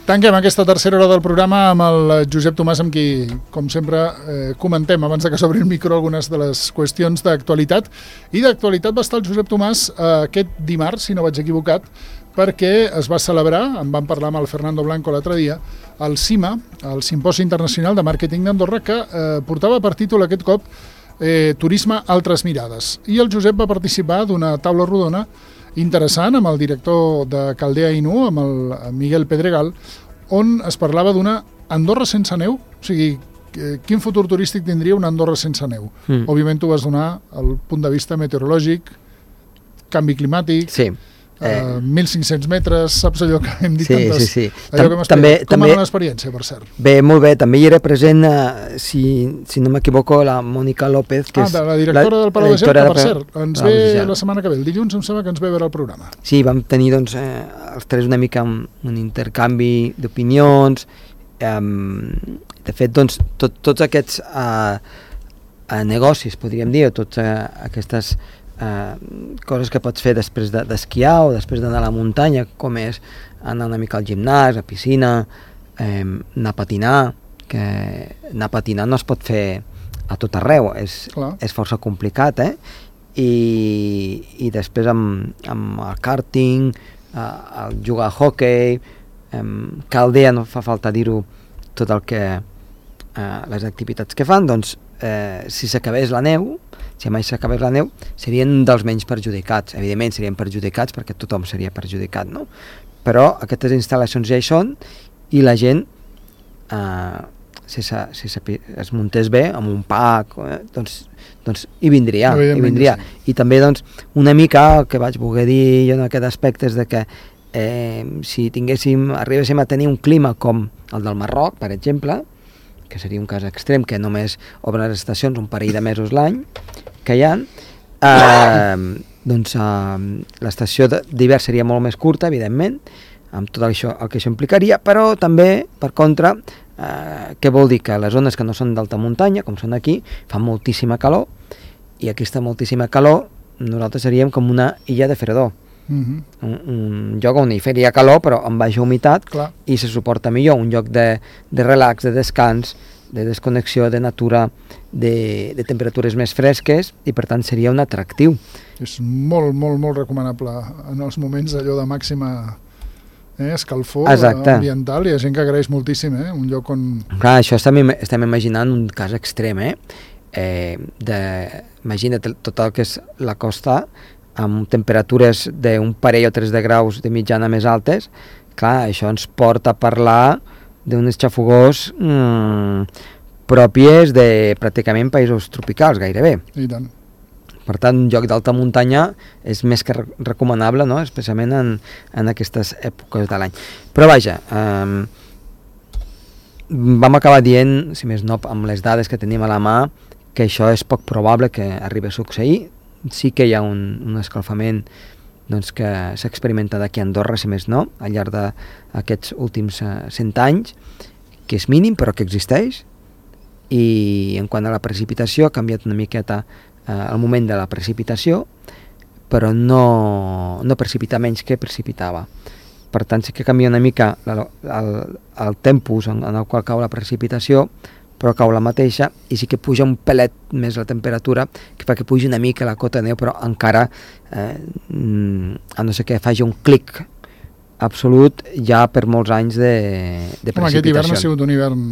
Tanquem aquesta tercera hora del programa amb el Josep Tomàs, amb qui, com sempre, comentem, abans que s'obri el micro, algunes de les qüestions d'actualitat. I d'actualitat va estar el Josep Tomàs aquest dimarts, si no vaig equivocat, perquè es va celebrar, en vam parlar amb el Fernando Blanco l'altre dia, el CIMA, el Simposi Internacional de Màrqueting d'Andorra, que portava per títol aquest cop Turisme, altres mirades. I el Josep va participar d'una taula rodona interessant amb el director de Caldea Inu, amb el Miguel Pedregal, on es parlava d'una Andorra sense neu, o sigui, quin futur turístic tindria una Andorra sense neu. Òbviament tu vas donar el punt de vista meteorològic, canvi climàtic, sí. 1.500 metres, saps allò que hem dit tantes... Sí. Allò que també, com era l'experiència, per cert? Bé, molt bé, també hi era present, si no m'equivoco, la Mònica López, que és la directora del Palau de Gel, que per cert, ens ve la setmana que ve, el dilluns em sembla que ens ve a veure el programa. Sí, vam tenir doncs, els tres una mica un intercanvi d'opinions. De fet, doncs, tots aquests negocis, podríem dir, o totes aquestes coses que pots fer després d'esquiar o després d'anar a la muntanya, com és anar una mica al gimnàs, a piscina, anar a patinar, que anar a patinar no es pot fer a tot arreu, és força complicat, i després amb el karting, el jugar a hockey, Caldea, no fa falta dir-ho, tot el que les activitats que fan, doncs si s'acabés la neu, si mai s'acabés la neu, serien dels menys perjudicats. Evidentment serien perjudicats perquè tothom seria perjudicat, no? Però aquestes instal·lacions ja hi són i la gent, si es muntés bé amb un parc, doncs hi vindria. I també doncs, una mica el que vaig voler dir jo en aquest aspecte és de que si arribéssim a tenir un clima com el del Marroc, per exemple, que seria un cas extrem, que només obren les estacions un parell de mesos l'any que hi ha, doncs l'estació d'hivern seria molt més curta, evidentment, amb tot això, el que això implicaria, però també, per contra, què vol dir? Que les zones que no són d'alta muntanya, com són aquí, fan moltíssima calor, i aquesta moltíssima calor nosaltres seríem com una illa de fredor. Un lloc on hi faria calor però amb baixa humitat. Clar. I se suporta millor, un lloc de relax, de descans, de desconnexió, de natura, de temperatures més fresques, i per tant seria un atractiu. És molt, molt, molt recomanable en els moments allò de màxima escalfor ambiental. Hi ha gent que agraeix moltíssim, un lloc on... Clar, això estem imaginant un cas extrem, imagina't tot el que és la costa, amb temperatures d'un parell o 3 de graus de mitjana més altes. Clar, això ens porta a parlar d'uns xafogors pròpies de pràcticament països tropicals, gairebé. I tant. Per tant, un lloc d'alta muntanya és més que recomanable, no? Especialment en aquestes èpoques de l'any. Però vaja, vam acabar dient, si més no, amb les dades que tenim a la mà, que això és poc probable que arribi a succeir. Sí que hi ha un escalfament doncs, que s'ha experimentat aquí a Andorra, si més no, al llarg d'aquests últims 100 anys, que és mínim però que existeix, i en quant a la precipitació ha canviat una miqueta el moment de la precipitació, però no precipita menys que precipitava. Per tant, sí que canvia una mica el tempus en el qual cau la precipitació, però cau la mateixa, i sí que puja un pelet més la temperatura, que fa que pugi una mica la cota de neu, però encara, a no ser que faci un clic absolut, ja per molts anys de precipitació. Aquest hivern ha sigut un hivern,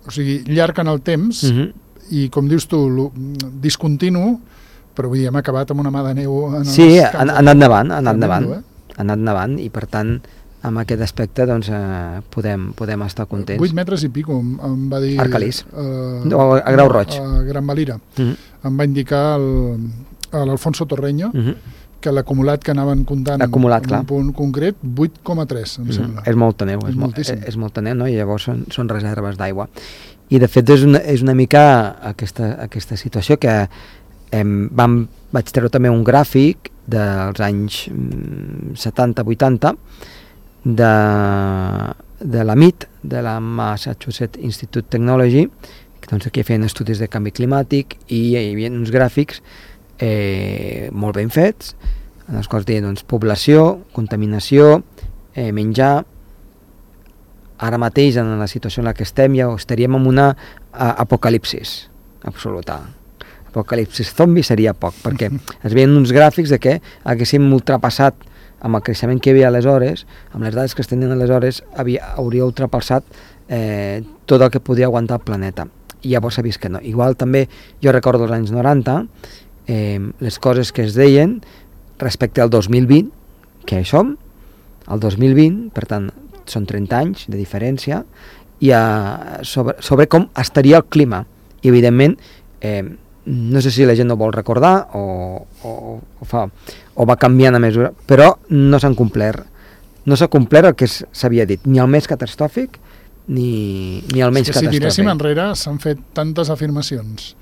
o sigui, llarg en el temps, i com dius tu, discontinu, però vull dir, hem acabat amb una mà de neu... Sí, ha anat nevant, i per tant, amb aquest aspecte doncs, podem estar contents. 8 metres i pico, em va dir... Arcalís, a Grau Roig. A Gran Valira. Em va indicar l'Alfonso Torreño, que l'acumulat que anaven comptant en un punt concret, 8,3, em sembla. És molta neu, és molta neu, no? I llavors són reserves d'aigua. I de fet és una mica aquesta situació que vaig treure també un gràfic dels anys 70-80, de la MIT, de la Massachusetts Institute Technology, que doncs aquí feien estudis de canvi climàtic, i hi havia uns gràfics molt ben fets, en els quals deien doncs, població, contaminació, menjar, ara mateix, en la situació en la que estem, ja estaríem en una apocalipsis absoluta. Apocalipsis zombi seria poc, perquè es veien uns gràfics de que haguéssim ultrapassat amb el creixement que hi havia aleshores, amb les dades que es tenien aleshores, hauria ultrapassat tot el que podia aguantar el planeta. I llavors s'ha vist que no. Igual també, jo recordo els anys 90, les coses que es deien respecte al 2020, que hi som, el 2020, per tant, són 30 anys de diferència, i sobre com estaria el clima. I, evidentment, no sé si la gent no vol recordar o va canviant a mesura, però no s'han complert. No s'ha complert el que s'havia dit, ni el més catastròfic, ni el menys catastròfic. Si tiréssim enrere, s'han fet tantes afirmacions,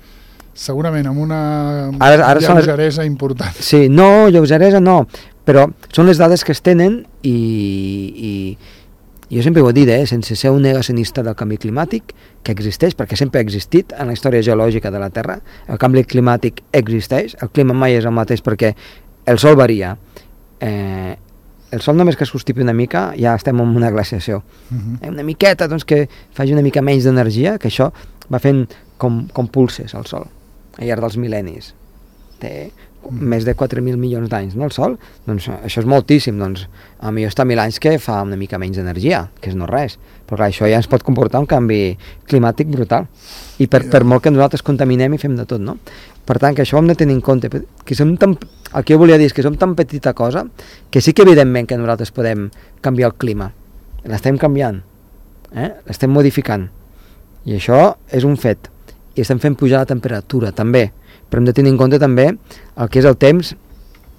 segurament amb una lleugeresa important. Sí, no, lleugeresa no, però són les dades que es tenen i jo sempre ho he dit, sense ser un negacionista del canvi climàtic, que existeix, perquè sempre ha existit en la història geològica de la Terra, el canvi climàtic existeix, el clima mai és el mateix perquè el sol varia. El sol només que es constipi una mica ja estem en una glaciació. Una miqueta, doncs, que faci una mica menys d'energia, que això va fent com pulses el sol al llarg dels mil·lennis. Té més de 4.000 milions d'anys, no, el sol? Doncs això és moltíssim, doncs potser està 1.000 anys que fa una mica menys d'energia, que és no res, però clar, això ja ens pot comportar un canvi climàtic brutal, i per molt que nosaltres contaminem i fem de tot, no? Per tant, que això ho hem de tenir en compte, que som tan, el que jo volia dir és que som tan petita cosa, que sí que evidentment que nosaltres podem canviar el clima, l'estem canviant, l'estem modificant, i això és un fet, i estem fent pujar la temperatura també, però hem de tenir en compte també el que és el temps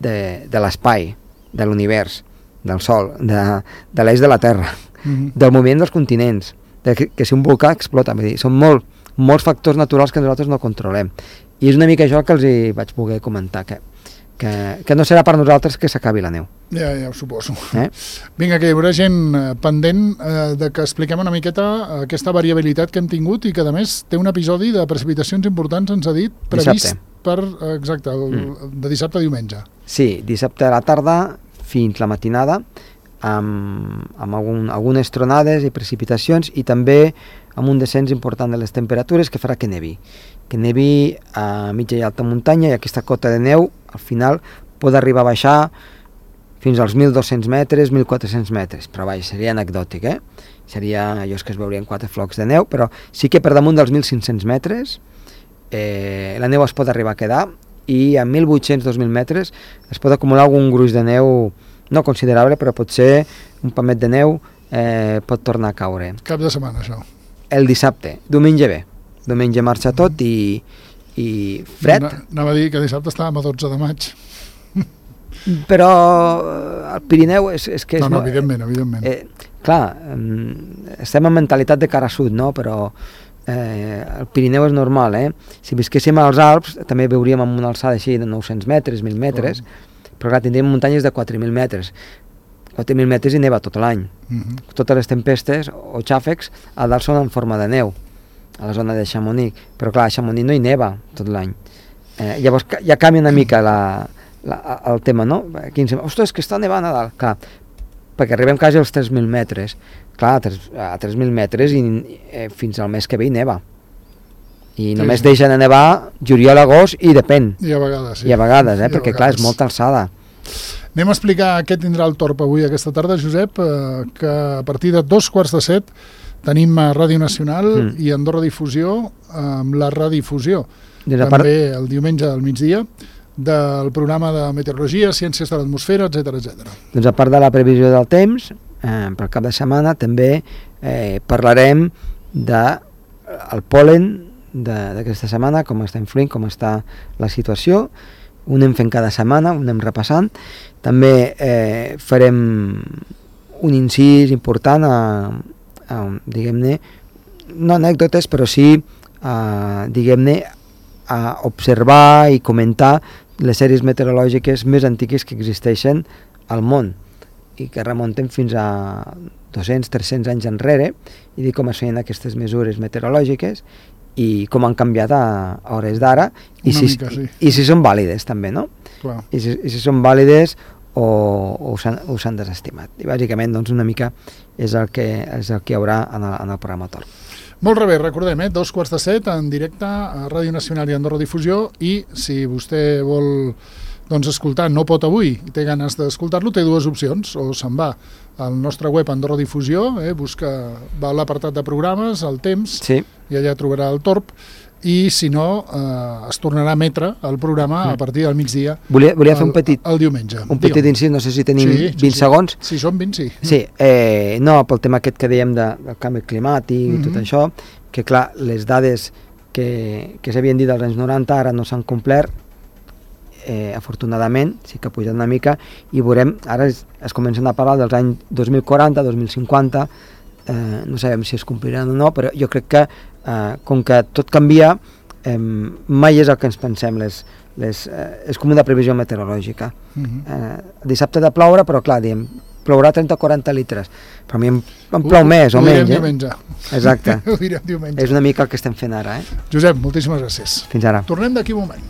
de l'espai, de l'univers, del Sol, de l'eix de la Terra, del moviment dels continents, que si un volcà explota, vull dir, són molts factors naturals que nosaltres no controlem. I és una mica això que els hi vaig poder comentar, que no serà per nosaltres que s'acabi la neu. Ja ho suposo. Vinga, que hi haurà gent pendent de que expliquem una miqueta aquesta variabilitat que hem tingut i que, a més, té un episodi de precipitacions importants, ens ha dit, previst per, exacte, de dissabte a diumenge. Sí, dissabte a la tarda fins la matinada, amb algunes tronades i precipitacions, i també amb un descens important de les temperatures que farà que nevi a mitja i alta muntanya, i aquesta cota de neu al final pot arribar a baixar fins als 1.200 metres, 1.400 metres, però vaja, seria anecdòtic, seria allò que es veurien 4 flocs de neu, però sí que per damunt dels 1.500 metres la neu es pot arribar a quedar, i a 1.800-2.000 metres es pot acumular algun gruix de neu no considerable, però potser un pamet de neu pot tornar a caure. Cap de setmana, això? El dissabte, diumenge bé. Diumenge marxa tot i fred. Anava a dir que dissabte estàvem a 12 de maig. Però el Pirineu és que... No, evidentment. Clar, estem en mentalitat de cara sud, no? Però el Pirineu és normal, Si visquéssim als Alps també veuríem amb una alçada així de 900 metres, 1.000 metres, però clar, tindríem muntanyes de 4.000 metres. 4.000 metres i neva tot l'any. Totes les tempestes o xàfecs a dalt són en forma de neu, a la zona de Chamonix, però clar, a Chamonix no hi neva tot l'any. Llavors ja canvia una mica el tema, no? Aquí ens diuen, ostres, que està nevant a dalt. Clar, perquè arribem quasi als 3.000 metres. Clar, a 3.000 metres i fins al mes que ve hi neva. I només deixen de nevar juliol, agost i depèn. I a vegades, sí. I a vegades, perquè clar, és molta alçada. Anem a explicar què tindrà el Torp avui aquesta tarda, Josep, que a partir de 2:45 tenim a Ràdio Nacional i Andorra Difusió amb la redifusió. També el diumenge al migdia del programa de meteorologia, ciències de l'atmosfera, etc. Doncs a part de la previsió del temps, per cap de setmana també parlarem del pol·len d'aquesta setmana, com està influint, com està la situació. Ho anem fent cada setmana, ho anem repassant. També farem un incís important diguem-ne, no anècdotes, però sí diguem-ne, a observar i comentar les sèries meteorològiques més antigues que existeixen al món i que remunten fins a 200-300 anys enrere, i dir com es feien aquestes mesures meteorològiques i com han canviat a hores d'ara i si són vàlides també, no? Clar. I si són vàlides o s'han desestimat. I bàsicament doncs, una mica és el que hi haurà en el programa Torn. Molt bé, recordem, 2:15 en directe a Ràdio Nacional i Andorra Difusió, i si vostè vol escoltar, no pot avui i té ganes d'escoltar-lo, té dues opcions: o se'n va al nostre web Andorra Difusió, va a l'apartat de programes, al temps, i allà trobarà el Torb, i si no, es tornarà a emetre el programa a partir del migdia. Volia fer el diumenge. Un petit incís, no sé si tenim 20 segons. Si són 20, sí. Sí, no, pel tema aquest que dèiem del canvi climàtic i tot això, que clar, les dades que s'havien dit als anys 90 ara no s'han complert, afortunadament, sí que ha pujat una mica, i veurem, ara es comencen a parlar dels anys 2040, 2050, no sabem si es compliran o no, però jo crec que com que tot canvia, mai és el que ens pensem, és com una previsió meteorològica. Dissabte ha de ploure, però clar, diem, plourà 30 o 40 litres, però a mi em plou més o menys. Ho direm diumenge. Exacte. Ho direm diumenge. És una mica el que estem fent ara. Josep, moltíssimes gràcies. Fins ara. Tornem d'aquí un moment.